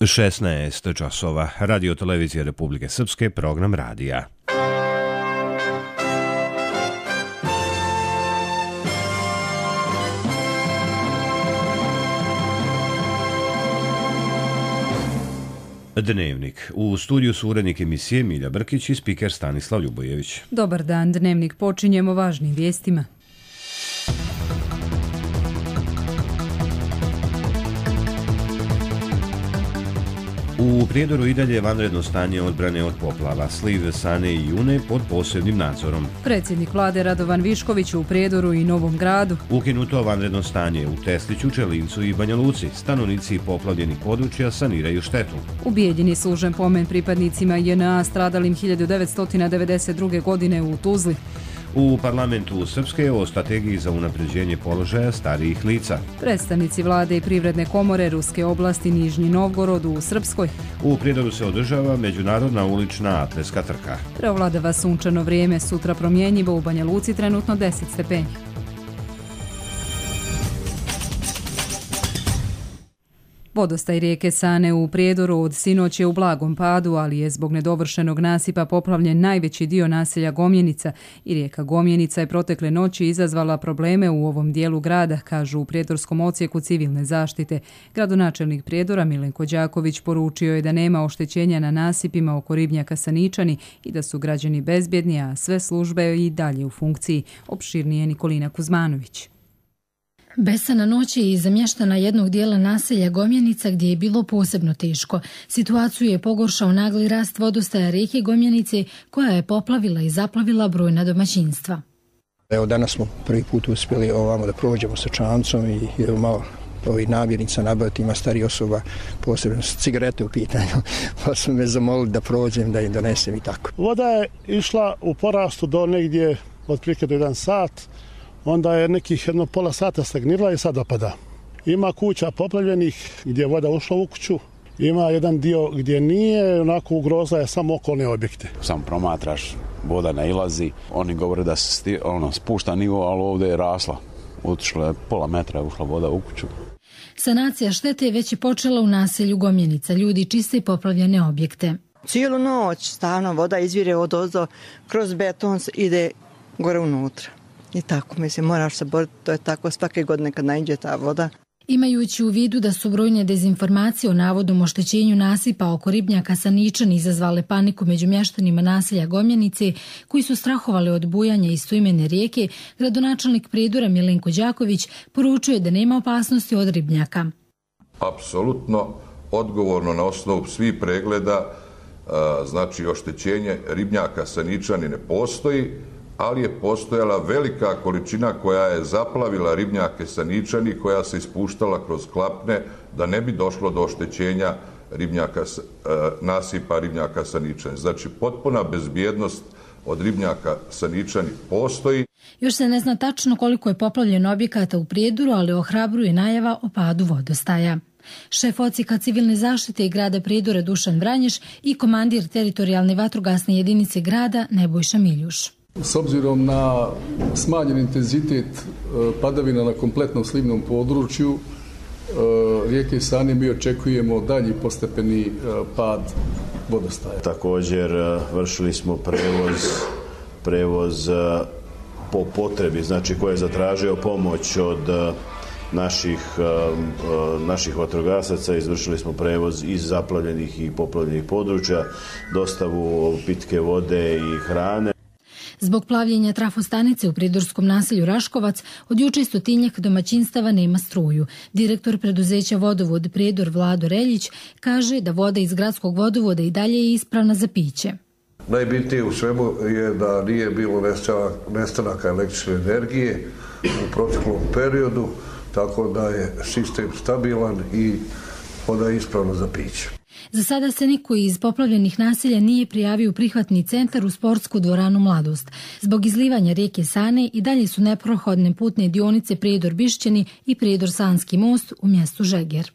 16 časova. Radio televizije Republike Srpske, program radija. Dnevnik. U studiju su urednik emisije Milja Brkić i spiker Stanislav Ljubojević. Dobar dan, Dnevnik počinjemo važnim vijestima. U Prijedoru i dalje vanredno stanje odbrane od poplava, sliv Sane i June pod posebnim nadzorom. Predsjednik vlade Radovan Višković u Prijedoru i Novom Gradu. Ukinuto vanredno stanje u Tesliću, Čelincu i Banja Luci. Stanovnici poplavljenih područja saniraju štetu. Ubijeđeni služen pomen pripadnicima JNA stradalim 1992. godine u Tuzli. U parlamentu Srpske o strategiji za unapređenje položaja starijih lica. Predstavnici vlade i privredne komore Ruske oblasti Nižnji Novgorod u Srpskoj. U Prijedoru se održava međunarodna ulična atletska trka. Preovladava sunčano vrijeme, sutra promjenjivo, u Banja Luci trenutno 10 stepeni. Vodostaj rijeke Sane u Prijedoru od sinoć je u blagom padu, ali je zbog nedovršenog nasipa poplavljen najveći dio naselja Gomjenica i rijeka Gomjenica je protekle noći izazvala probleme u ovom dijelu grada, kažu u Prijedorskom odsjeku civilne zaštite. Gradonačelnik Prijedora Milenko Đaković poručio je da nema oštećenja na nasipima oko ribnjaka Saničani i da su građani bezbjedni, a sve službe i dalje u funkciji. Opširnije Nikolina Kuzmanović. Besana noć je iza mještana jednog dijela naselja Gomjenica gdje je bilo posebno teško. Situaciju je pogoršao nagli rast vodostaja rijeke Gomjenice koja je poplavila i zaplavila brojna domaćinstva. Evo danas smo prvi put uspjeli ovamo da prođemo sa čamcom i malo ovih namirnica nabaviti, ima starih osoba, posebno cigarete u pitanju, pa su me zamolili da prođem, da im donesem i tako. Voda je išla u porastu do negdje otprilike do 1 sat. Onda je nekih jedno pola sata stagnirala i sad opada. Ima kuća poplavljenih gdje je voda ušla u kuću, ima jedan dio gdje nije, onako ugroza je samo okolne objekte. Sam promatraš, voda nailazi, oni govore da se spušta nivo, ali ovdje je rasla. Otišla je pola metra, je ušla voda u kuću. Sanacija štete je već i počela u naselju Gomjenica. Ljudi čiste poplavljene objekte. Cijelu noć stavno voda izvire odozdo, kroz beton ide gore unutra. I tako, mislim, moraš se boriti, to je tako svake godine kad naiđe ta voda. Imajući u vidu da su brojne dezinformacije o navodnom oštećenju nasipa oko ribnjaka Saničani izazvale paniku među mještanima naselja Gomjenice, koji su strahovali od bujanja istoimene rijeke, gradonačelnik Prijedora Milenko Đaković poručuje da nema opasnosti od ribnjaka. Apsolutno odgovorno na osnovu svih pregleda, znači oštećenje ribnjaka Saničani ne postoji, ali je postojala velika količina koja je zaplavila ribnjake Saničani, koja se ispuštala kroz klapne da ne bi došlo do oštećenja nasipa ribnjaka Saničani. Znači, potpuna bezbjednost od ribnjaka Saničani postoji. Još se ne zna tačno koliko je poplavljeno objekata u Prijedoru, ali ohrabruje najava o padu vodostaja. Šef odsjeka civilne zaštite i grada Prijedora Dušan Vranješ i komandir teritorijalne vatrogasne jedinice grada Nebojša Miljuš. S obzirom na smanjen intenzitet padavina na kompletnom slivnom području rijeke Sane mi očekujemo dalji postepeni pad vodostaja. Također vršili smo prevoz po potrebi, znači ko je zatražio pomoć od naših vatrogasaca, izvršili smo prevoz iz zaplavljenih i poplavljenih područja, dostavu pitke vode i hrane. Zbog plavljenja trafostanice u prijedorskom naselju Raškovac od juče 100 domaćinstava nema struju. Direktor preduzeća Vodovod Prijedor Vlado Reljić kaže da voda iz gradskog vodovoda i dalje je ispravna za piće. Najbitnije u svemu je da nije bilo nestanaka električne energije u proteklom periodu, tako da je sistem stabilan i voda je ispravna za piće. Za sada se niko iz poplavljenih naselja nije prijavio u prihvatni centar u sportsku dvoranu Mladost. Zbog izlivanja rijeke Sane i dalje su neprohodne putne dionice Prijedor-Bišćani i Prijedor-Sanski most u mjestu Žeger.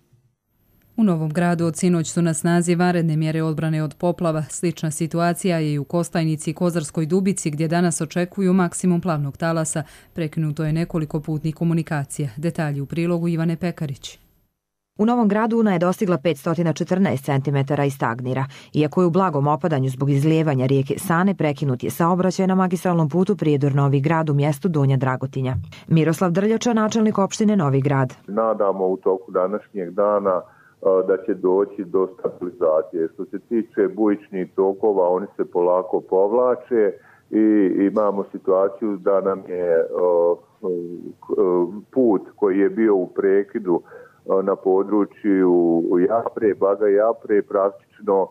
U Novom Gradu od sinoć su na snazi vanredne mjere odbrane od poplava. Slična situacija je i u Kostajnici i Kozarskoj Dubici gdje danas očekuju maksimum plavnog talasa. Prekinuto je nekoliko putnih komunikacija. Detalji u prilogu Ivane Pekarić. U Novom Gradu Una je dostigla 514 cm i stagnira. Iako je u blagom opadanju zbog izlijevanja rijeke Sane, prekinut je saobraćaj na magistralnom putu Prijedor-Novi Grad u mjestu Donja Dragotinja. Miroslav Drljača, načelnik opštine Novi Grad. Nadamo u toku današnjeg dana da će doći do stabilizacije. Što se tiče bujičnih tokova, oni se polako povlače i imamo situaciju da nam je put koji je bio u prekidu na području Japre, Baga Japre, praktično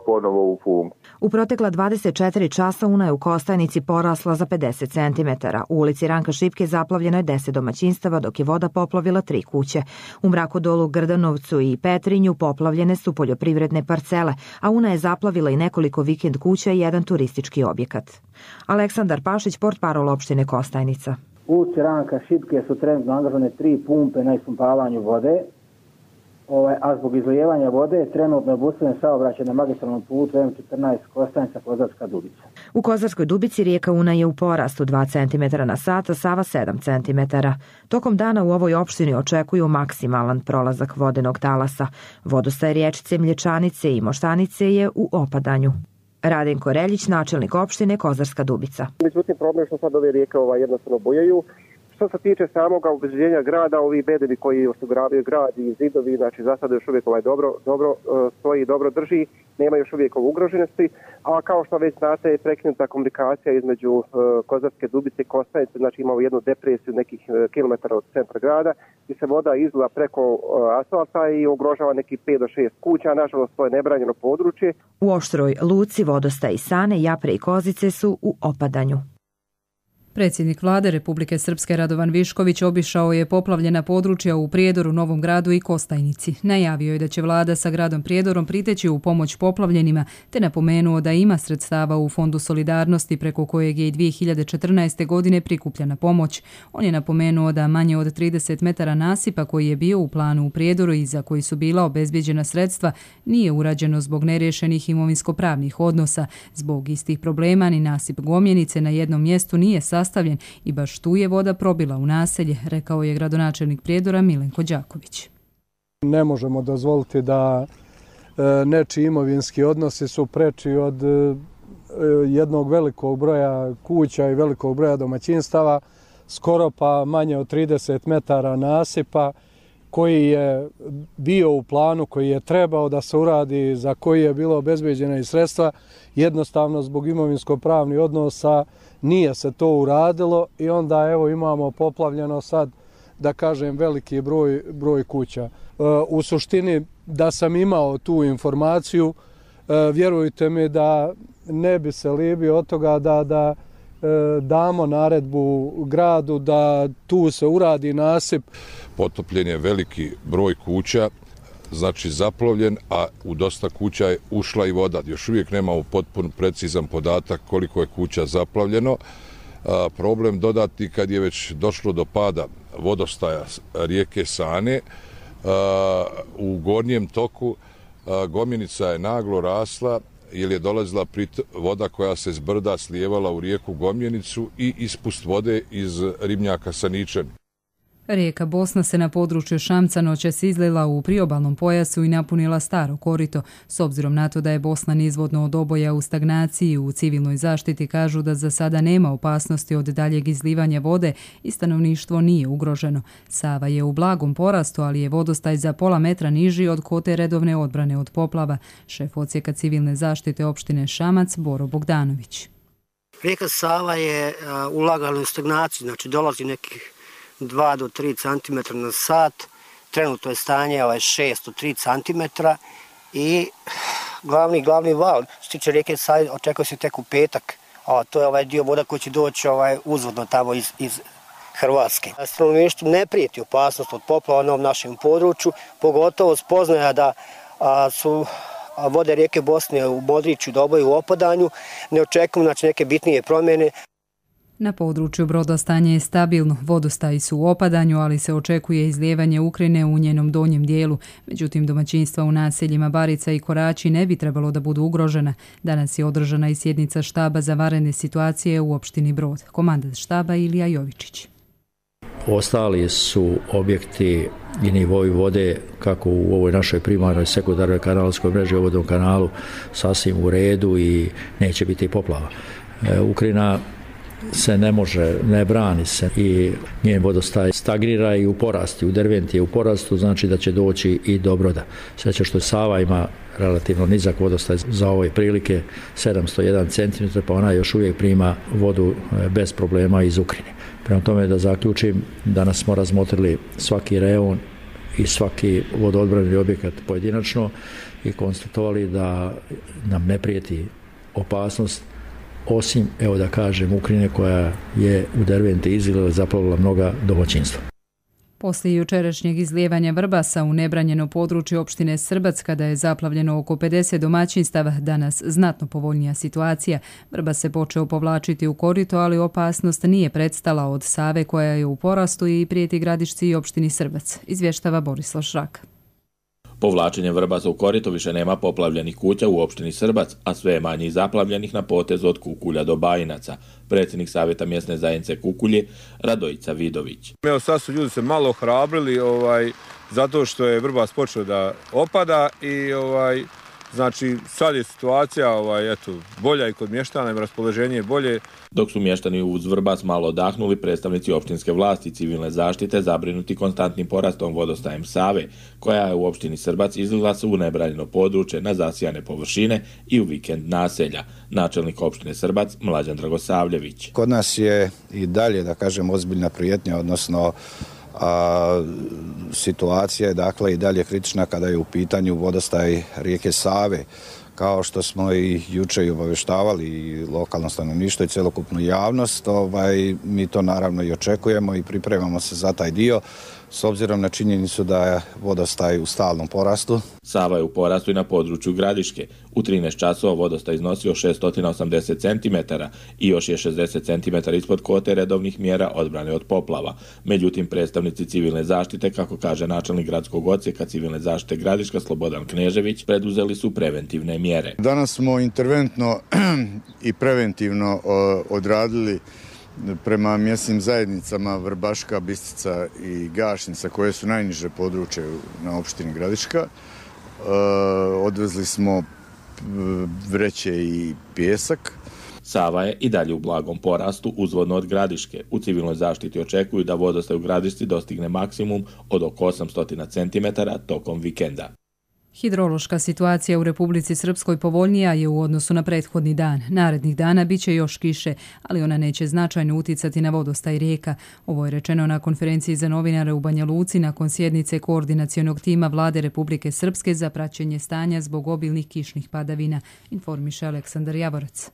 ponovo u funkciji. U protekla 24 časa Una je u Kostajnici porasla za 50 cm. U ulici Ranka Šipke zaplavljeno je 10 domaćinstava, dok je voda poplavila 3 kuće. U Mrakodolu, Grdanovcu i Petrinju poplavljene su poljoprivredne parcele, a Una je zaplavila i nekoliko vikend kuća i jedan turistički objekat. Aleksandar Pašić, portparol opštine Kostajnica. U ulici Ranka Šipke su trenutno angažovane 3 pumpe na ispumpavanju vode, a zbog izlijevanja vode trenutno je obustavljen saobraćaj na magistralnom putu M14 Kostajnica Kozarska Dubica. U Kozarskoj Dubici rijeka Una je u porastu 2 cm na sat, a Sava 7 cm. Tokom dana u ovoj opštini očekuju maksimalan prolazak vodenog talasa. Vodostaj riječice Mlječanice i Moštanice je u opadanju. Radenko Reljić, načelnik opštine Kozarska Dubica. Međutim, problem što sad ove rijeke jednostavno bujaju. Što se tiče samog obezbeđenja grada, ovi bedevi koji osiguravaju grad i zidovi, znači za sada još uvijek dobro stoji, dobro drži, nema još uvijek ugroženosti, a kao što već znate, prekinuta komunikacija između Kozarske Dubice i Kostajnice, znači imamo jednu depresiju nekih kilometara od centra grada, gdje se voda izliva preko asfalta i ugrožava nekih 5 do 6 kuća, nažalost to je nebranjeno područje. U Oštroj Luci, vodostaj Sane, Japre i Kozice su u opadanju. Predsjednik vlade Republike Srpske Radovan Višković obišao je poplavljena područja u Prijedoru, Novom Gradu i Kostajnici. Najavio je da će vlada sa gradom Prijedorom priteći u pomoć poplavljenima, te napomenuo da ima sredstava u Fondu solidarnosti preko kojeg je i 2014. godine prikupljena pomoć. On je napomenuo da manje od 30 metara nasipa koji je bio u planu u Prijedoru i za koji su bila obezbijeđena sredstva nije urađeno zbog neriješenih imovinsko-pravnih odnosa. Zbog istih problema ni nasip Gomjenice na jednom mjestu nije sastavljen i baš tu je voda probila u naselje, rekao je gradonačelnik Prijedora Milenko Đaković. Ne možemo dozvoliti da nečiji imovinski odnosi su preči od jednog velikog broja kuća i velikog broja domaćinstava, skoro pa manje od 30 metara nasipa koji je bio u planu, koji je trebao da se uradi, za koji je bilo obezbeđena i sredstva, jednostavno zbog imovinsko-pravnih odnosa nije se to uradilo i onda evo imamo poplavljeno sad, da kažem, veliki broj kuća. U suštini da sam imao tu informaciju, vjerujte mi da ne bi se libio od toga da damo naredbu gradu da tu se uradi nasip. Potopljen je veliki broj kuća, znači zaplovljen, a u dosta kuća je ušla i voda. Još uvijek nemamo potpuno precizan podatak koliko je kuća zaplavljeno. Problem dodati kad je već došlo do pada vodostaja rijeke Sane, u gornjem toku Gomjenica je naglo rasla jer je dolazila voda koja se s brda slijevala u rijeku Gomjenicu i ispust vode iz ribnjaka Saničani. Rijeka Bosna se na području Šamca noćas izlila u priobalnom pojasu i napunila staro korito. S obzirom na to da je Bosna nizvodno od oboja u stagnaciji, u civilnoj zaštiti kažu da za sada nema opasnosti od daljeg izlivanja vode i stanovništvo nije ugroženo. Sava je u blagom porastu, ali je vodostaj za pola metra niži od kote redovne odbrane od poplava. Šef odsjeka civilne zaštite opštine Šamac, Boro Bogdanović. Rijeka Sava je ulagala u stagnaciju, znači dolazi nekih 2 do 3 cm na sat, trenutno je stanje 6 do 3 cm i glavni val, što tiče rijeke Save, očekuje se tek u petak, a to je ovaj dio voda koji će doći uzvodno tamo iz Hrvatske. Stanovništvu ne prijeti opasnost od poplava na ovom našem području, pogotovo spoznaja da su vode rijeke Bosne u Modriću doboju u opadanju, ne očekujemo neke bitnije promjene. Na području Broda stanje je stabilno, vodostaji su u opadanju, ali se očekuje izlijevanje Ukrajine u njenom donjem dijelu. Međutim, domaćinstva u naseljima Barica i Korači ne bi trebalo da budu ugrožena. Danas je održana i sjednica štaba za vanredne situacije u opštini Brod. Komandant štaba Ilija Jovičić. Ostali su objekti i nivoi vode, kako u ovoj našoj primarnoj sekundarnoj kanalskoj mreži, u vodnom kanalu, sasvim u redu i neće biti poplava. Ukrajina se ne može, ne brani se i njen vodostaj stagnira i u porastu, u Derventi je u porastu, znači da će doći i do Broda. Sreća što Sava ima relativno nizak vodostaj za ove prilike, 701 cm, pa ona još uvijek prima vodu bez problema iz Ukrajine. Prema tome, da zaključim, danas smo razmotrili svaki reon i svaki vodoodbrani objekat pojedinačno i konstatovali da nam ne prijeti opasnost, osim, evo da kažem, Ukrajine koja je u Derventi izlila, zaplavila mnoga domaćinstva. Poslije jučerašnjeg izlijevanja Vrbasa u nebranjeno područje opštine Srbac, kada je zaplavljeno oko 50 domaćinstava, danas znatno povoljnija situacija. Vrbas se počeo povlačiti u korito, ali opasnost nije prestala od Save koja je u porastu i prijeti Gradišci i opštini Srbac, izvještava Borislav Šrak. Povlačenjem Vrbasa u korito više nema poplavljenih kuća u opštini Srbac, a sve je manje zaplavljenih na potezu od Kukulja do Bajinaca. Predsjednik Savjeta mjesne zajednice Kukulje, Radojica Vidović. Evo sad su ljudi se malo ohrabrili zato što je Vrbas počeo da opada i znači sad je situacija bolja i kod mještana, i raspoloženje je bolje. Dok su mještani uz Vrbas malo odahnuli, predstavnici opštinske vlasti i civilne zaštite zabrinuti konstantnim porastom vodostajem Save, koja je u opštini Srbac izlila se u nebranjeno područje na zasijane površine i u vikend naselja. Načelnik opštine Srbac Mlađan Dragosavljević. Kod nas je i dalje, da kažem, ozbiljna prijetnja, odnosno situacija je dakle i dalje kritična kada je u pitanju vodostaj rijeke Save. Kao što smo i juče obavještavali i lokalno stanovništvo i celokupnu javnost, mi to naravno i očekujemo i pripremamo se za taj dio, s obzirom na činjenicu da je vodostaj u stalnom porastu. Sava je u porastu i na području Gradiške. U 13 časova vodostaj iznosio 680 cm i još je 60 cm ispod kvote redovnih mjera odbrane od poplava. Međutim, predstavnici civilne zaštite, kako kaže načelnik gradskog odsjeka civilne zaštite Gradiška Slobodan Knežević, preduzeli su preventivne mjere. Danas smo interventno i preventivno odradili prema mjesnim zajednicama Vrbaška, Bistica i Gašnica, koje su najniže područje na opštini Gradiška. Odvezli smo vreće i pijesak. Sava je i dalje u blagom porastu uzvodno od Gradiške. U civilnoj zaštiti očekuju da vodostaj u Gradišci dostigne maksimum od oko 800 cm tokom vikenda. Hidrološka situacija u Republici Srpskoj povoljnija je u odnosu na prethodni dan. Narednih dana bit će još kiše, ali ona neće značajno uticati na vodostaj rijeka. Ovo je rečeno na konferenciji za novinare u Banja Luci nakon sjednice koordinacionog tima Vlade Republike Srpske za praćenje stanja zbog obilnih kišnih padavina, informiše Aleksandar Javorac.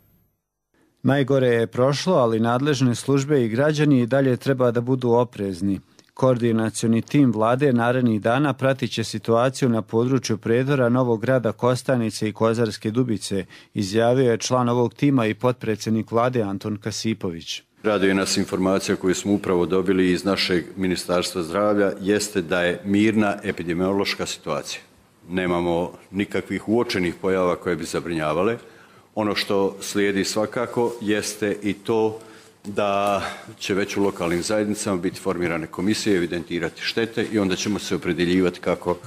Najgore je prošlo, ali nadležne službe i građani i dalje treba da budu oprezni. Koordinacioni tim vlade narednih dana pratit će situaciju na području Prijedora, Novog Grada, Kostajnice i Kozarske Dubice, izjavio je član ovog tima i potpredsjednik vlade Anton Kasipović. Raduje nas informacija koju smo upravo dobili iz našeg Ministarstva zdravlja jeste da je mirna epidemiološka situacija. Nemamo nikakvih uočenih pojava koje bi zabrinjavale. Ono što slijedi svakako jeste i to da će već u lokalnim zajednicama biti formirane komisije, evidentirati štete i onda ćemo se opredjeljivati kako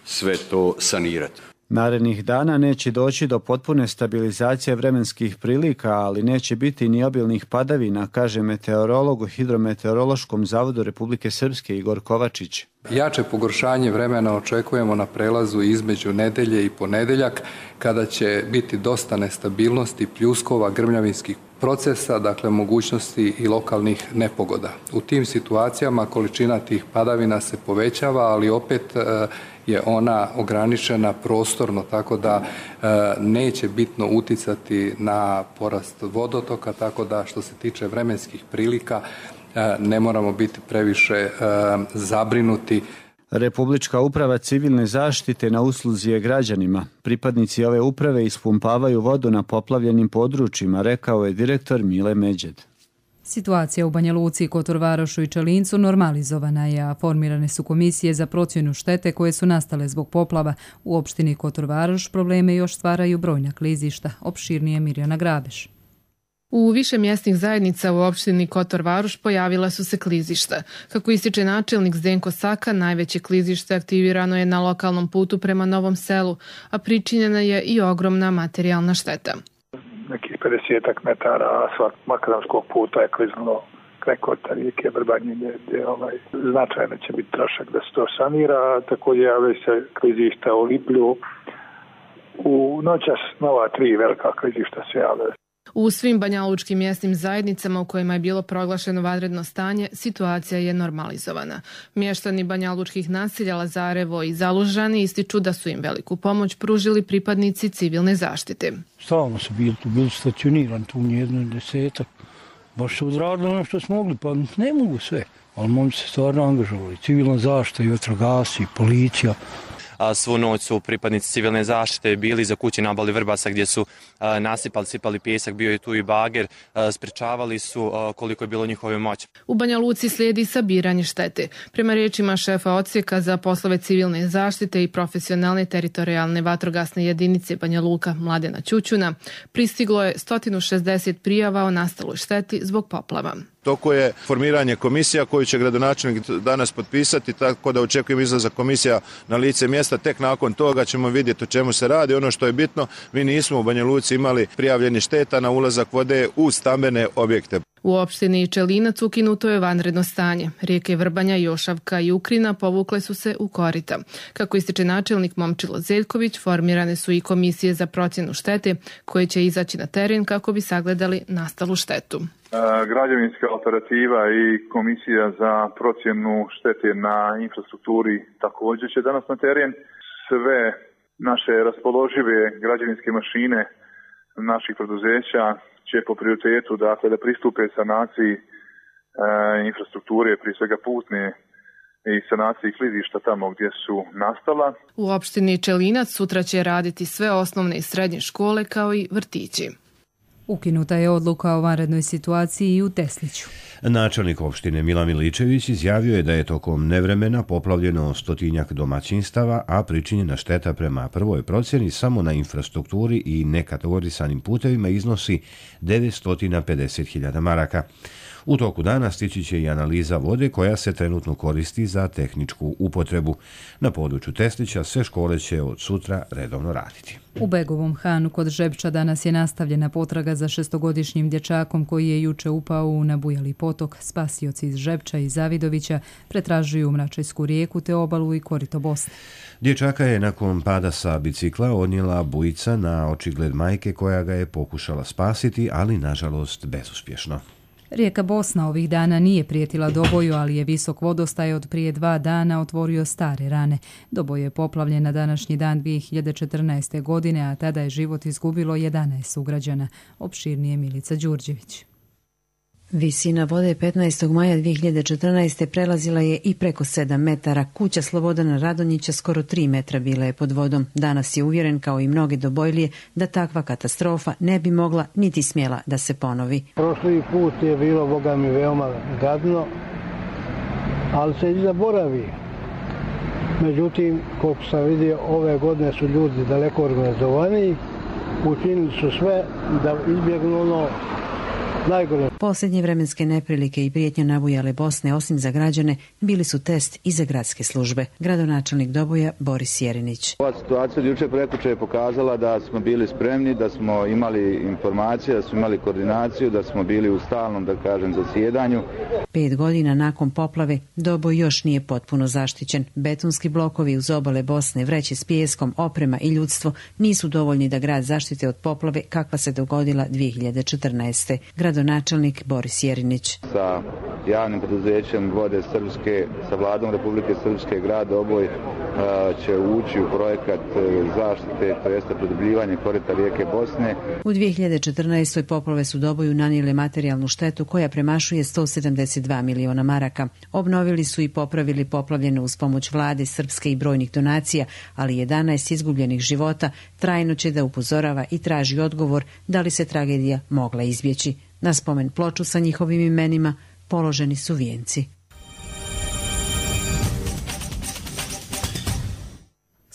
sve to sanirati. Narednih dana neće doći do potpune stabilizacije vremenskih prilika, ali neće biti ni obilnih padavina, kaže meteorolog u Hidrometeorološkom zavodu Republike Srpske Igor Kovačić. Jače pogoršanje vremena očekujemo na prelazu između nedelje i ponedeljak, kada će biti dosta nestabilnosti, pljuskova, grmljavinskih procesa, dakle mogućnosti i lokalnih nepogoda. U tim situacijama količina tih padavina se povećava, ali opet je ona ograničena prostorno, tako da neće bitno uticati na porast vodotoka, tako da što se tiče vremenskih prilika ne moramo biti previše zabrinuti. Republička uprava civilne zaštite na usluzi je građanima. Pripadnici ove uprave ispumpavaju vodu na poplavljenim područjima, rekao je direktor Mile Međed. Situacija u Banja Luci, Kotor Varošu i Čelincu normalizovana je, a formirane su komisije za procjenu štete koje su nastale zbog poplava. U opštini Kotor Varoš probleme još stvaraju brojna klizišta. Opširnije Mirjana Grabeš. U više mjesnih zajednica u opštini Kotor Varoš pojavila su se klizišta. Kako ističe načelnik Zdenko Saka, najveće klizište aktivirano je na lokalnom putu prema Novom Selu, a pričinjena je i ogromna materijalna šteta. Nekih 50 metara asfalt makadamskog puta je kliznulo preko rijeke Vrbanje, gdje značajno će biti trošak da se to sanira. Također javljaju se klizišta u Liplju. U noćas nova 3 velika klizišta se javljaju. U svim banjalučkim mjesnim zajednicama u kojima je bilo proglašeno vanredno stanje, situacija je normalizovana. Mještani banjalučkih naselja Lazarevo i Zalužani ističu da su im veliku pomoć pružili pripadnici civilne zaštite. Stalno su bili stacionirani, tu jedno 10. Baš su odradili ono što smo mogli, pa ne mogu sve. Ali momci se stvarno angažovali. Civilna zaštita i vatrogasci, policija. Svu noć su pripadnici civilne zaštite bili za kuće na obali Vrbasa gdje su sipali pjesak, bio je tu i bager, sprečavali su koliko je bilo njihove moći. U Banja Luci slijedi sabiranje štete. Prema riječima šefa odsjeka za poslove civilne zaštite i profesionalne teritorijalne vatrogasne jedinice Banja Luka Mladena Ćućuna, pristiglo je 160 prijava o nastaloj šteti zbog poplava. Toko je formiranje komisija koju će gradonačelnik danas potpisati, tako da očekujem izlazak komisija na lice mjesta. Tek nakon toga ćemo vidjeti o čemu se radi. Ono što je bitno, mi nismo u Banja Luci imali prijavljeni šteta na ulazak vode u stambene objekte. U opštini Čelinac ukinuto je vanredno stanje. Rijeke Vrbanja, Jošavka i Ukrina povukle su se u korita. Kako ističe načelnik Momčilo Zeljković, formirane su i komisije za procjenu štete koje će izaći na teren kako bi sagledali nastalu štetu. Građevinska operativa i komisija za procjenu štete na infrastrukturi također će danas na teren. Sve naše raspoložive građevinske mašine naših preduzeća će po prioritetu da pristupe sanaciji infrastrukture, prije svega putne i sanaciji klizišta tamo gdje su nastala. U opštini Čelinac sutra će raditi sve osnovne i srednje škole kao i vrtići. Ukinuta je odluka o vanrednoj situaciji i u Tesliću. Načelnik opštine Milan Miličević izjavio je da je tokom nevremena poplavljeno 100-tinjak domaćinstava, a pričinjena šteta prema prvoj procjeni samo na infrastrukturi i nekategorisanim putevima iznosi 950.000 maraka. U toku dana stići će i analiza vode koja se trenutno koristi za tehničku upotrebu. Na području Teslića sve škole će od sutra redovno raditi. U Begovom Hanu kod Žepča danas je nastavljena potraga za 6-godišnjim dječakom koji je juče upao u nabujali potok. Spasioci iz Žepča i Zavidovića pretražuju Mračajsku rijeku te obalu i korito Bosne. Dječaka je nakon pada sa bicikla odnijela bujica na očigled majke koja ga je pokušala spasiti, ali nažalost bezuspješno. Rijeka Bosna ovih dana nije prijetila Doboju, ali je visok vodostaj od prije 2 dana otvorio stare rane. Doboj je poplavljen na današnji dan 2014. godine, a tada je život izgubilo 11 sugrađana. Opširnije Milica Đurđević. Visina vode 15. maja 2014. prelazila je i preko 7 metara. Kuća Slobodana Radonjića skoro 3 metra bila je pod vodom. Danas je uvjeren, kao i mnogi Dobojlije, da takva katastrofa ne bi mogla niti smjela da se ponovi. Prošli put je bilo, boga mi, veoma gadno, ali se i zaboravi. Međutim, koliko sam vidio, ove godine su ljudi daleko organizovaniji, učinili su sve da izbjegnu ono najgore. Posljednje vremenske neprilike i prijetnje nabujale Bosne, osim za građane, bili su test i za gradske službe. Gradonačelnik Doboja Boris Jerinić. Ova situacija jučer prekuče je pokazala da smo bili spremni, da smo imali informacije, da smo imali koordinaciju, da smo bili u stalnom, da kažem, zasjedanju. 5 godina nakon poplave Doboj još nije potpuno zaštićen. Betonski blokovi uz obale Bosne, vreće s pijeskom, oprema i ljudstvo nisu dovoljni da grad zaštite od poplave kakva se dogodila 2014. Gradonačelnik Boris Jerinić. Sa javnim preduzećem Vode Srpske, sa vladom Republike Srpske, grad Doboj će ući u projekat zaštite, to jeste produbljivanje korita rijeke Bosne. U 2014. poplave su Doboju nanijele materijalnu štetu koja premašuje 172 miliona maraka. Obnovili su i popravili poplavljeno uz pomoć vlade Srpske i brojnih donacija, ali 11 izgubljenih života trajno će da upozorava i traži odgovor da li se tragedija mogla izbjeći. Na spomen ploču sa njihovim imenima položeni su vijenci.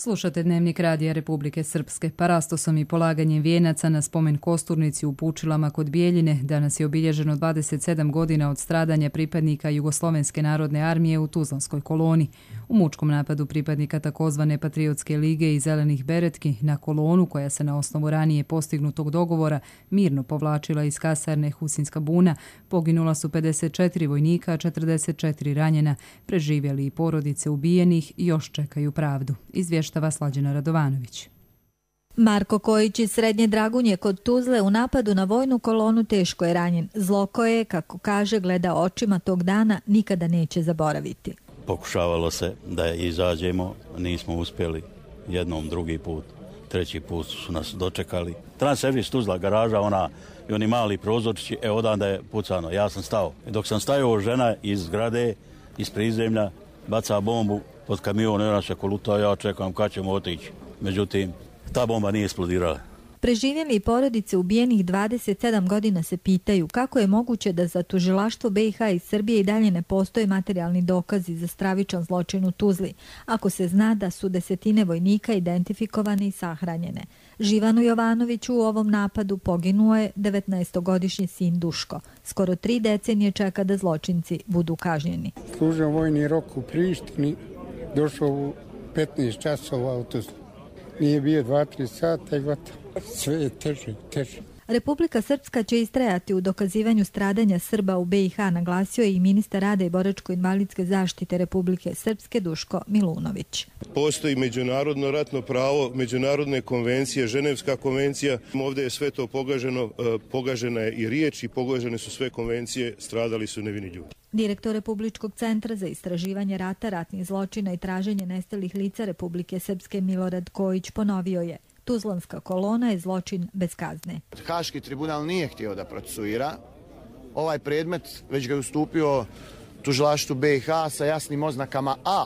Slušate Dnevnik Radija Republike Srpske. Parastosom i polaganjem vijenaca na spomen Kosturnici u Pučilama kod Bijeljine danas je obilježeno 27 godina od stradanja pripadnika Jugoslovenske narodne armije u Tuzlanskoj koloni. U mučkom napadu pripadnika takozvane Patriotske lige i Zelenih beretki na kolonu, koja se na osnovu ranije postignutog dogovora mirno povlačila iz kasarne Husinska buna, poginula su 54 vojnika, 44 ranjena. Preživjeli i porodice ubijenih još čekaju pravdu. Izvještava Slađana Radovanović. Marko Kojić iz Srednje Dragunje kod Tuzle u napadu na vojnu kolonu teško je ranjen. Zlo koje, kako kaže, gleda očima tog dana, nikada neće zaboraviti. Pokušavalo se da izađemo, nismo uspjeli jednom, drugi put, treći put su nas dočekali. Transservis Tuzla, garaža, i oni mali prozorčići, odanda je pucano. Ja sam stao. Dok sam stajao, žena iz zgrade, iz prizemlja, baca bombu pod kamion, ona se koluta, ja čekam kad ćemo otići. Međutim, ta bomba nije eksplodirala. Preživjeli porodice ubijenih 27 godina se pitaju kako je moguće da za tužilaštvo BiH i Srbije i dalje ne postoje materijalni dokazi za stravičan zločin u Tuzli, ako se zna da su desetine vojnika identifikovane i sahranjene. Živanu Jovanoviću u ovom napadu poginuo je 19-godišnji sin Duško. Skoro 3 decenije čeka da zločinci budu kažnjeni. Služio vojni rok u Prištini, došao u 15 časova u Tuzlu. Nije bio 2-3 sata i gotovo. Sve je teže. Republika Srpska će istrajati u dokazivanju stradanja Srba u BiH, naglasio je i ministar rada i boračko-invalidske zaštite Republike Srpske Duško Milunović. Postoji međunarodno ratno pravo, međunarodne konvencije, Ženevska konvencija. Ovdje je sve to pogaženo, pogažena je i riječ i pogažene su sve konvencije, stradali su nevini ljudi. Direktor Republičkog centra za istraživanje rata, ratnih zločina i traženje nestalih lica Republike Srpske Milorad Kojić ponovio je: Tuzlanska kolona je zločin bez kazne. Haški tribunal nije htio da procesuira. Ovaj predmet već ga je ustupio tužilaštvu BiH sa jasnim oznakama A,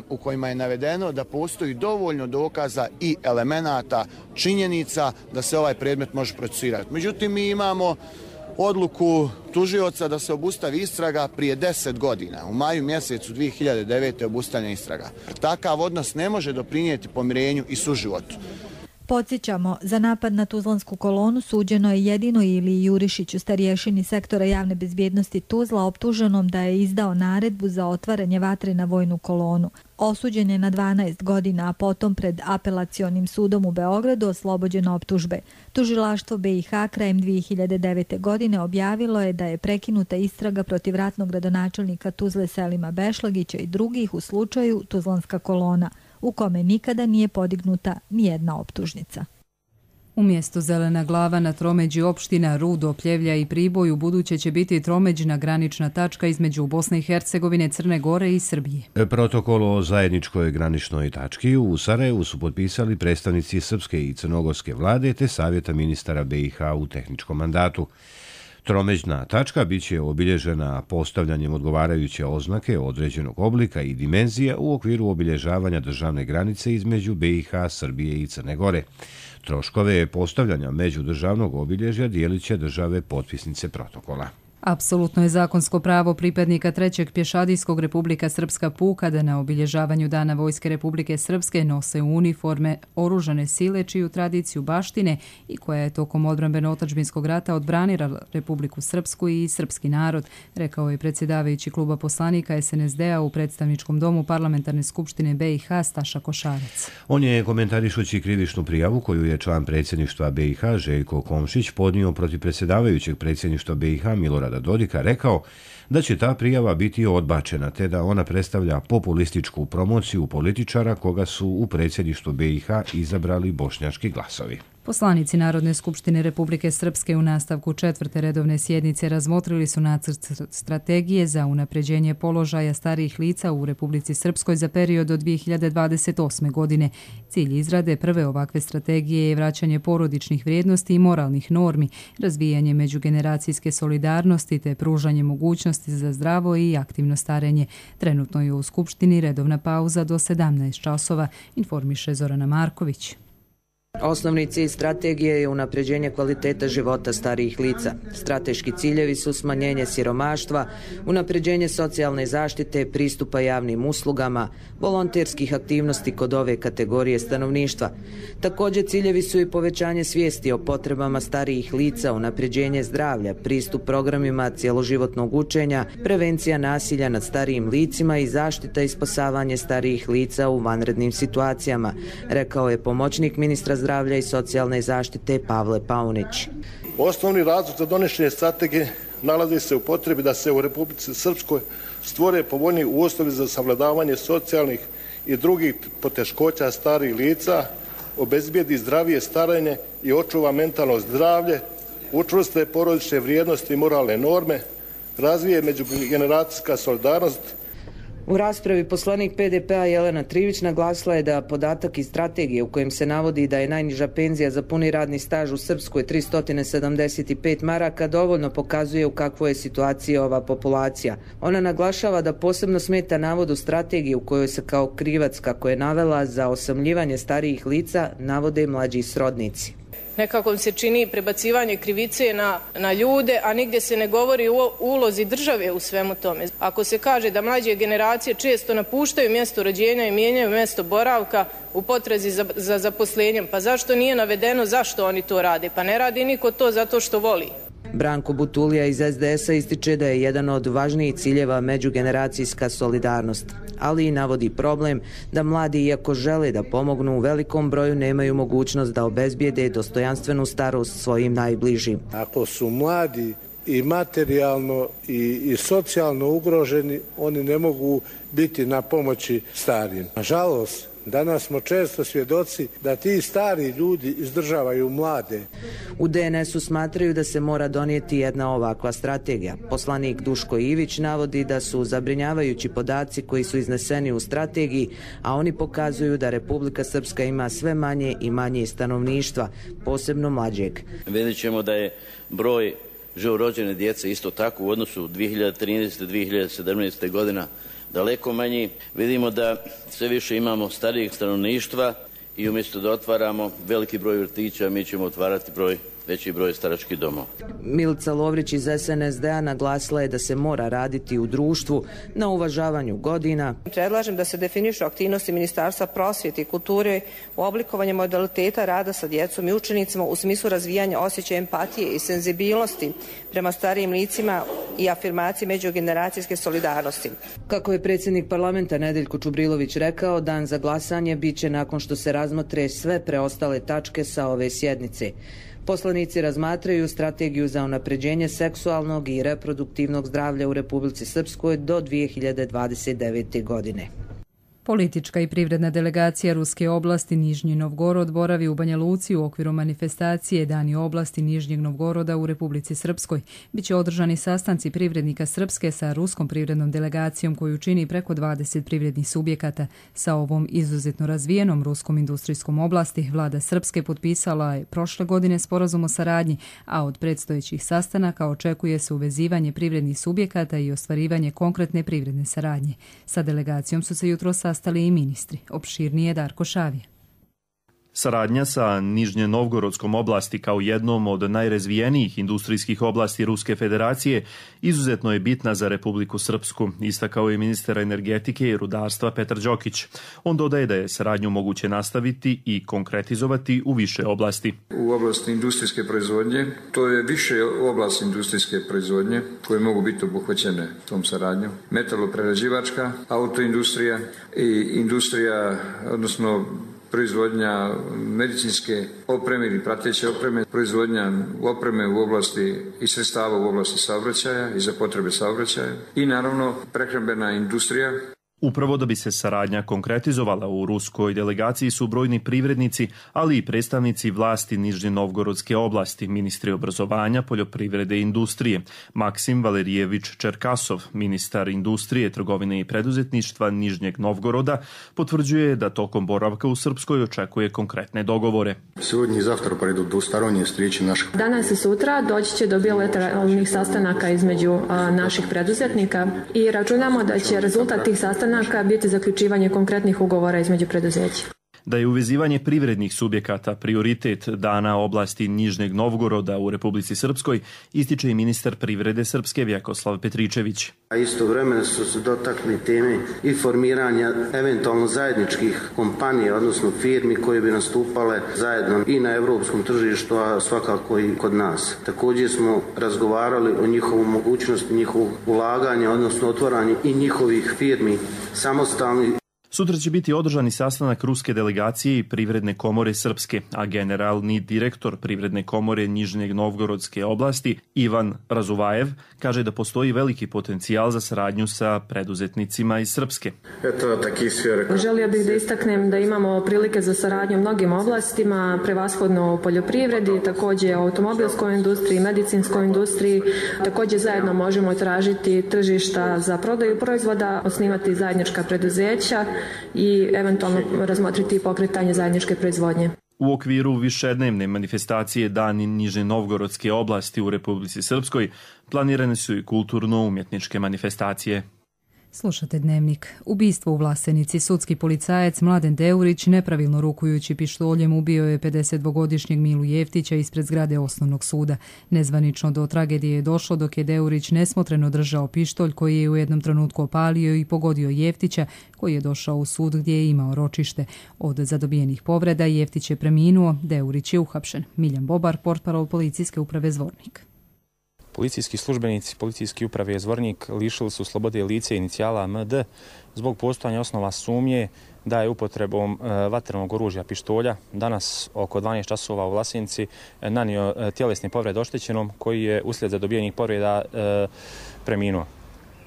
u kojima je navedeno da postoji dovoljno dokaza i elemenata, činjenica da se ovaj predmet može procesuirati. Međutim, mi imamo odluku tužioca da se obustavi istraga prije 10 godina. U maju mjesecu 2009. obustavljena istraga. Takav odnos ne može doprinijeti pomirenju i suživotu. Podsjećamo, za napad na Tuzlansku kolonu suđeno je jedino Iliji Jurišiću, starješini sektora javne bezbjednosti Tuzla, optuženom da je izdao naredbu za otvaranje vatre na vojnu kolonu. Osuđen je na 12 godina, a potom pred apelacionim sudom u Beogradu oslobođen optužbe. Tužilaštvo BiH krajem 2009. godine objavilo je da je prekinuta istraga protiv ratnog gradonačelnika Tuzle Selima Bešlagića i drugih u slučaju Tuzlanska kolona, u kome nikada nije podignuta nijedna optužnica. Umjesto Zelena glava na tromeđi opština Rudo, Pljevlja i Priboj ubuduće će biti tromeđna granična tačka između Bosne i Hercegovine, Crne Gore i Srbije. Protokol o zajedničkoj graničnoj tački u Sarajevu su potpisali predstavnici srpske i crnogorske vlade te savjeta ministara BiH u tehničkom mandatu. Tromeđna tačka biće obilježena postavljanjem odgovarajuće oznake određenog oblika i dimenzija u okviru obilježavanja državne granice između BiH, Srbije i Crne Gore. Troškove postavljanja međudržavnog obilježja dijelit će države potpisnice protokola. Apsolutno je zakonsko pravo pripadnika 3. pješadijskog Republika Srpska puka da na obilježavanju Dana Vojske Republike Srpske nose uniforme oružane sile čiju tradiciju baštine i koja je tokom odbrambeno-otadžbinskog rata odbranila Republiku Srpsku i srpski narod, rekao je predsjedavajući kluba poslanika SNSD-a u predstavničkom domu Parlamentarne skupštine BiH Staša Košarac. On je komentarišući krivičnu prijavu koju je član predsjedništva BiH Željko Komšić podnio protiv predsjedavajućeg predsjedništva BiH Milorada Dodika rekao da će ta prijava biti odbačena te da ona predstavlja populističku promociju političara koga su u predsjedništvu BiH izabrali bošnjački glasovi. Poslanici Narodne skupštine Republike Srpske u nastavku 4. redovne sjednice razmotrili su nacrt strategije za unapređenje položaja starijih lica u Republici Srpskoj za period od 2028. godine. Cilj izrade prve ovakve strategije je vraćanje porodičnih vrijednosti i moralnih normi, razvijanje međugeneracijske solidarnosti te pružanje mogućnosti za zdravo i aktivno starenje. Trenutno je u Skupštini redovna pauza do 17 časova, informiše Zorana Marković. Osnovni cilj strategije je unapređenje kvaliteta života starijih lica. Strateški ciljevi su smanjenje siromaštva, unapređenje socijalne zaštite, pristupa javnim uslugama, volonterskih aktivnosti kod ove kategorije stanovništva. Također ciljevi su i povećanje svijesti o potrebama starijih lica, unapređenje zdravlja, pristup programima cjeloživotnog učenja, prevencija nasilja nad starijim licima i zaštita i spasavanje starijih lica u vanrednim situacijama, rekao je pomoćnik ministra zdravlja i socijalne zaštite Pavle Paunić. Osnovni razlog za donošenje strategije nalazi se u potrebi da se u Republici Srpskoj stvore povoljniji uslovi za savladavanje socijalnih i drugih poteškoća starijih lica, obezbijedi zdravije starenje i očuva mentalno zdravlje, učvrste porodične vrijednosti i moralne norme, razvije međugeneracijska solidarnost. U raspravi poslanik PDP-a Jelena Trivić naglasila je da podatak iz strategije u kojem se navodi da je najniža penzija za puni radni staž u Srpskoj 375 maraka dovoljno pokazuje u kakvoj je situaciji ova populacija. Ona naglašava da posebno smeta navod u strategiji u kojoj se kao krivac, kako je navela, za osamljivanje starijih lica navode mlađi srodnici. Nekako se čini prebacivanje krivice na ljude, a nigdje se ne govori o ulozi države u svemu tome. Ako se kaže da mlađe generacije često napuštaju mjesto rođenja i mijenjaju mjesto boravka u potrazi za zaposlenjem, pa zašto nije navedeno zašto oni to rade? Pa ne radi niko to zato što voli. Branko Butulija iz SDS-a ističe da je jedan od važnijih ciljeva međugeneracijska solidarnost, ali i navodi problem da mladi, iako žele da pomognu, u velikom broju nemaju mogućnost da obezbijede dostojanstvenu starost svojim najbližim. Ako su mladi i materijalno i socijalno ugroženi, oni ne mogu biti na pomoći starijim. Nažalost, danas smo često svjedoci da ti stari ljudi izdržavaju mlade. U DNS-u smatraju da se mora donijeti jedna ovakva strategija. Poslanik Duško Ivić navodi da su zabrinjavajući podaci koji su izneseni u strategiji, a oni pokazuju da Republika Srpska ima sve manje i manje stanovništva, posebno mlađeg. Vidjet ćemo da je broj živorođene djece isto tako u odnosu 2013-2017. godina daleko manji. Vidimo da sve više imamo starijeg stanovništva i umjesto da otvaramo veliki broj vrtića, mi ćemo otvarati veći broj staračkih domova. Milica Lovrić iz SNSD-a naglasila je da se mora raditi u društvu na uvažavanju godina. Predlažem da se definišu aktivnosti Ministarstva prosvjete i kulture u oblikovanju modaliteta rada sa djecom i učenicima u smislu razvijanja osjećaja empatije i senzibilnosti prema starijim licima i afirmaciji međugeneracijske solidarnosti. Kako je predsjednik parlamenta Nedeljko Čubrilović rekao, dan za glasanje biće nakon što se razmotre sve preostale tačke sa ove sjednice. Poslanici razmatraju strategiju za unapređenje seksualnog i reproduktivnog zdravlja u Republici Srpskoj do 2029. godine. Politička i privredna delegacija Ruske oblasti Nižnji Novgorod boravi u Banja Luci u okviru manifestacije Dani oblasti Nižnjeg Novgoroda u Republici Srpskoj. Biće održani sastanci privrednika Srpske sa ruskom privrednom delegacijom koju čini preko 20 privrednih subjekata. Sa ovom izuzetno razvijenom ruskom industrijskom oblasti vlada Srpske potpisala je prošle godine sporazum o saradnji, a od predstojećih sastanaka očekuje se uvezivanje privrednih subjekata i ostvarivanje konkretne privredne saradnje. Sa delegacijom su se jutros sastali i ministri. Opširnije Darko Šavije. Saradnja sa Nižnje-Novgorodskom oblasti kao jednom od najrazvijenijih industrijskih oblasti Ruske federacije izuzetno je bitna za Republiku Srpsku, istakao je ministar energetike i rudarstva Petar Đokić. On dodaje da je saradnju moguće nastaviti i konkretizovati u više oblasti. U oblasti industrijske proizvodnje, to je više oblast industrijske proizvodnje koje mogu biti obuhvaćene tom saradnjom. Metaloprerađivačka, autoindustrija i industrija, odnosno proizvodnja medicinske opreme ili prateće opreme, proizvodnja opreme u oblasti i sredstava u oblasti saobraćaja i za potrebe saobraćaja i naravno prehrambena industrija. Upravo da bi se saradnja konkretizovala u ruskoj delegaciji su brojni privrednici, ali i predstavnici vlasti Nižnje-Novgorodske oblasti, ministri obrazovanja, poljoprivrede i industrije. Maksim Valerijević Čerkasov, ministar industrije, trgovine i preduzetništva Nižnjeg Novgoroda, potvrđuje da tokom boravka u Srpskoj očekuje konkretne dogovore. Danas i sutra doći će do bilateralnih sastanaka između naših preduzetnika i računamo da će rezultat tih sastanaka biti zaključivanje konkretnih ugovora između preduzeća. Da je uvezivanje privrednih subjekata prioritet dana oblasti Nižnjeg Novgoroda u Republici Srpskoj, ističe i ministar privrede Srpske Vjekoslav Petričević. A istovremeno su se dotakli teme i formiranja eventualno zajedničkih kompanija, odnosno firmi koje bi nastupale zajedno i na europskom tržištu, a svakako i kod nas. Također smo razgovarali o njihovu mogućnosti, njihovog ulaganja, odnosno otvaranja i njihovih firmi samostalnih. Sutra će biti održani sastanak ruske delegacije i Privredne komore Srpske, a generalni direktor Privredne komore Nižnjeg Novgorodske oblasti Ivan Razuvajev kaže da postoji veliki potencijal za saradnju sa preduzetnicima iz Srpske. Želio bih da istaknem da imamo prilike za saradnju u mnogim oblastima, prevashodno u poljoprivredi, također u automobilskoj industriji, medicinskoj industriji. Također zajedno možemo tražiti tržišta za prodaju proizvoda, osnivati zajednička preduzeća i eventualno razmotriti pokretanje zajedničke proizvodnje. U okviru višednevne manifestacije Dani Nižne Novgorodske oblasti u Republici Srpskoj planirane su i kulturno-umjetničke manifestacije. Slušate Dnevnik. Ubistvo u Vlasenici. Sudski policajac Mladen Deurić nepravilno rukujući pištoljem ubio je 52-godišnjeg Milu Jeftića ispred zgrade osnovnog suda. Nezvanično do tragedije je došlo dok je Deurić nesmotreno držao pištolj koji je u jednom trenutku opalio i pogodio Jeftića koji je došao u sud gdje je imao ročište. Od zadobijenih povreda Jeftić je preminuo, Deurić je uhapšen. Miljan Bobar, portparol policijske uprave Zvornik. Policijski službenici policijske uprave Zvornik lišili su slobode lice inicijala MD zbog postojanja osnova sumnje da je upotrebom vatrenog oružja pištolja danas oko 12 časova u Vlasenici nanio tjelesne povrede oštećenom koji je uslijed zadobijenih povreda preminuo.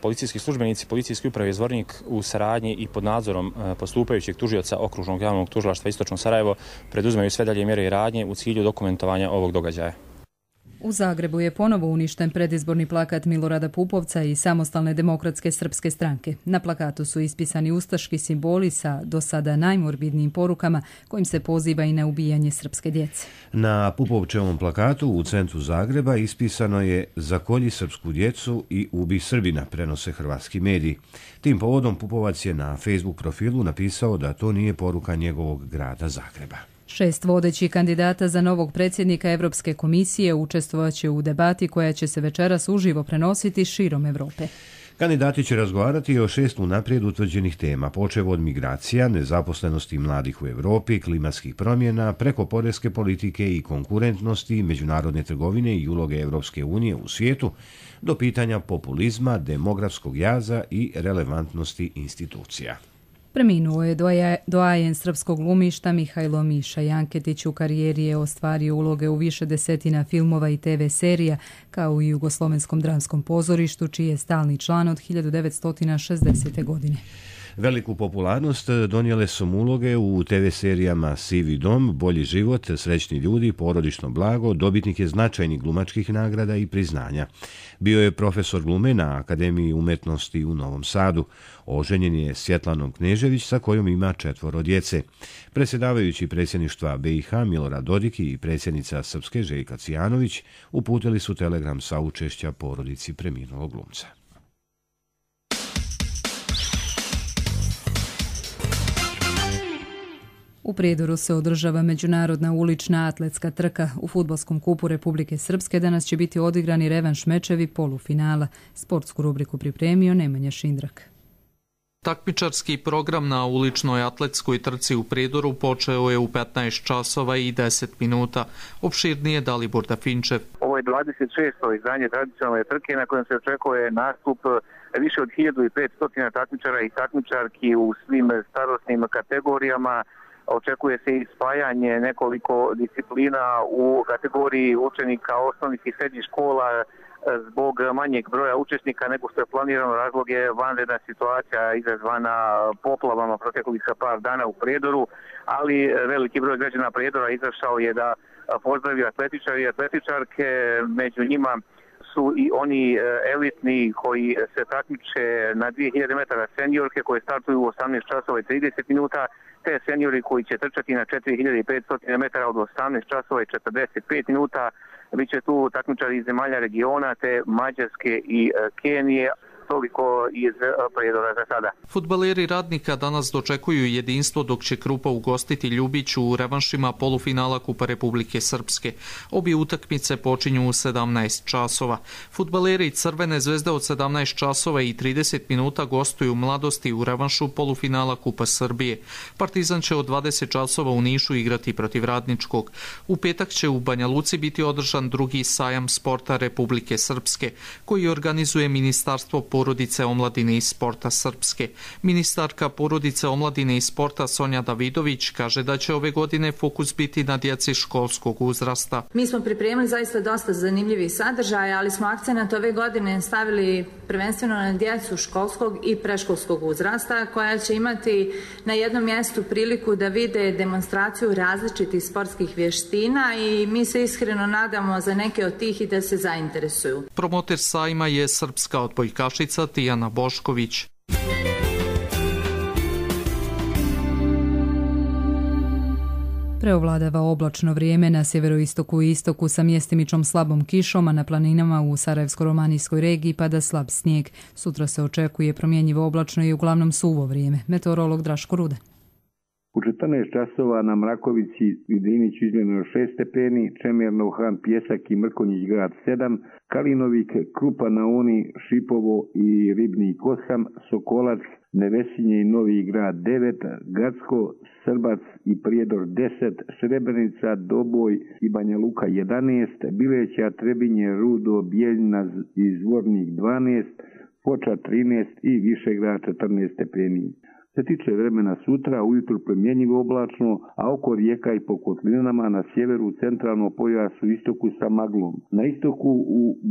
Policijski službenici policijske uprave Zvornik u saradnji i pod nadzorom postupajućeg tužioca Okružnog javnog tužilaštva Istočno Sarajevo preduzimaju sve dalje mjere i radnje u cilju dokumentovanja ovog događaja. U Zagrebu je ponovo uništen predizborni plakat Milorada Pupovca i Samostalne demokratske srpske stranke. Na plakatu su ispisani ustaški simboli sa do sada najmorbidnijim porukama kojim se poziva i na ubijanje srpske djece. Na Pupovčevom plakatu u centru Zagreba ispisano je "Zakolji srpsku djecu i ubi Srbina", prenose hrvatski mediji. Tim povodom Pupovac je na Facebook profilu napisao da to nije poruka njegovog grada Zagreba. 6 vodećih kandidata za novog predsjednika Europske komisije učestvovaće u debati koja će se večeras uživo prenositi širom Europe. Kandidati će razgovarati o 6 unaprijed utvrđenih tema, počev od migracija, nezaposlenosti mladih u Europi, klimatskih promjena, preko poreske politike i konkurentnosti, međunarodne trgovine i uloge Europske unije u svijetu, do pitanja populizma, demografskog jaza i relevantnosti institucija. Preminuo je doajen srpskog glumišta Mihajlo Miša Janketić. U karijeri je ostvario uloge u više desetina filmova i TV serija, kao i Jugoslovenskom dramskom pozorištu, čiji je stalni član od 1960. godine. Veliku popularnost donijele su mu uloge u TV serijama Sivi dom, Bolji život, Srećni ljudi, Porodično blago, dobitnik je značajnih glumačkih nagrada i priznanja. Bio je profesor glume na Akademiji umjetnosti u Novom Sadu. Oženjen je Svjetlanom Knežević sa kojom ima 4 djece. Predsjedavajući predsjedništva BiH Milorad Dodik i predsjednica Srpske Željka Cijanović uputili su telegram saučešća porodici preminulog glumca. U Prijedoru se održava međunarodna ulična atletska trka. U fudbalskom kupu Republike Srpske danas će biti odigrani revanš mečevi polufinala. Sportsku rubriku pripremio Nemanja Šindrak. Takmičarski program na uličnoj atletskoj trci u Prijedoru počeo je u 15 časova i 10 minuta. Opširnije Dalibor Dafinčev. Ovo je 26. izdanje tradicionalne trke na kojem se očekuje nastup više od 1500 takmičara i takmičarki u svim starosnim kategorijama. Očekuje se i spajanje nekoliko disciplina u kategoriji učenika osnovnih i srednjih škola zbog manjeg broja učesnika nego što je planirano. Razlog je vanredna situacija izazvana poplavama proteklih par dana u Prijedoru, ali veliki broj građana Prijedora izašao je da pozdravi atletičari i atletičarke. Među njima su i oni elitni koji se takmiče na 2000 metara seniorke koje startuju u 18 časova i 30 minuta, te seniori koji će trčati na 4500 metara od 18 časova i 45 minuta. Biće tu takmičari iz zemalja regiona te Mađarske i Kenije. toliko iz Prijedora za sada. Fudbaleri Radnika danas dočekuju jedinstvo dok će Krupa ugostiti Ljubiću u revanšima polufinala Kupa Republike Srpske. Obje utakmice počinju u 17 časova. Fudbaleri Crvene zvezde od 17 časova i 30 minuta gostuju Mladosti u revanšu polufinala Kupa Srbije. Partizan će od 20 časova u Nišu igrati protiv Radničkog. U petak će u Banja Luci biti održan drugi sajam sporta Republike Srpske, koji organizuje Ministarstvo porodice, omladine i sporta Srpske. Ministarka porodice, omladine i sporta Sonja Davidović kaže da će ove godine fokus biti na djeci školskog uzrasta. Mi smo pripremili zaista dosta zanimljivih sadržaja, ali smo akcenat ove godine stavili prvenstveno na djecu školskog i predškolskog uzrasta, koja će imati na jednom mjestu priliku da vide demonstraciju različitih sportskih vještina i mi se iskreno nadamo za neke od tih i da se zainteresuju. Promoter sajma je srpska odbojkašica Tijana Bošković. Preovladava oblačno vrijeme na sjeveroistoku i istoku sa mjestimičnom slabom kišom, a na planinama u Sarajevsko-romanijskoj regiji pada slab snijeg. Sutra se očekuje promjenjivo oblačno i uglavnom suvo vrijeme. Meteorolog Draško Rudan. U 14 časova na Mrakovici i Driniću izmjereno 6 stepeni, Čemerno, Han, Pjesak i Mrkonjić grad 7, Kalinovik, Krupa na Uni, Šipovo i Ribni Kosham, Sokolac, Nevesinje i Novi grad 9, Gacko, Srbac i Prijedor 10, Srebrenica, Doboj i Banja Luka 11, Bileća, Trebinje, Rudo, Bijeljina i Zvornik 12, Foča 13 i Višegrad 14 stepeni. Se tiče vremena sutra, ujutro promjenjivo oblačno, a oko rijeka i po kotlinama na sjeveru centralno pojasu istoku sa maglom. Na istoku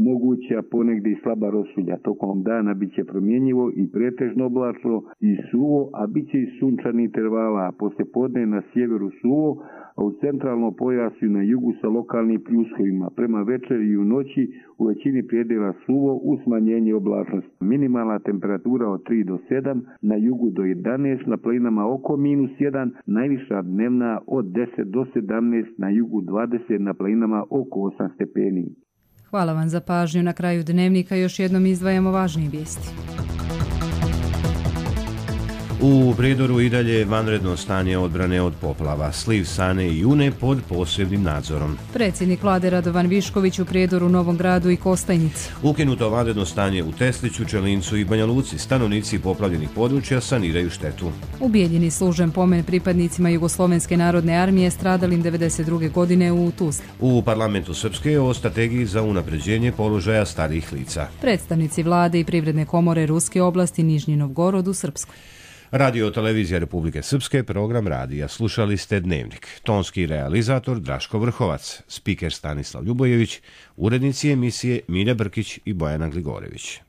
moguća ponegdje i slaba rosulja. Tokom dana bit će promjenjivo i pretežno oblačno i suvo, a bit će i sunčani intervala, a poslijepodne na sjeveru suvo, a u centralnom pojasu i na jugu sa lokalnim pljuskovima. Prema večeri i u noći u većini predjela suvo u smanjenje oblačnosti. Minimalna temperatura od 3 do 7, na jugu do 11, na planinama oko -1, najviša dnevna od 10 do 17, na jugu 20, na planinama oko 8 stepeni. Hvala vam za pažnju. Na kraju dnevnika još jednom izdvajamo važnije vijesti. U Prijedoru i dalje vanredno stanje odbrane od poplava, sliv Sane i Une pod posebnim nadzorom. Predsjednik vlade Radovan Višković u Prijedoru, Novom Gradu i Kostajnici. Ukinuto vanredno stanje u Tesliću, Čelincu i Banja Luci. Stanovnici poplavljenih područja saniraju štetu. U Bijeljini služen pomen pripadnicima Jugoslovenske narodne armije stradalim 92. godine u Tuzli. U parlamentu Srpske o strategiji za unapređenje položaja starijih lica. Predstavnici vlade i privredne komore Ruske oblasti Nižnji Novgorod u Srpskoj. Radio Televizija Republike Srpske, program radija. Slušali ste Dnevnik. Tonski realizator Draško Vrhovac, spiker Stanislav Ljubojević, urednici emisije Milja Brkić i Bojana Gligorević.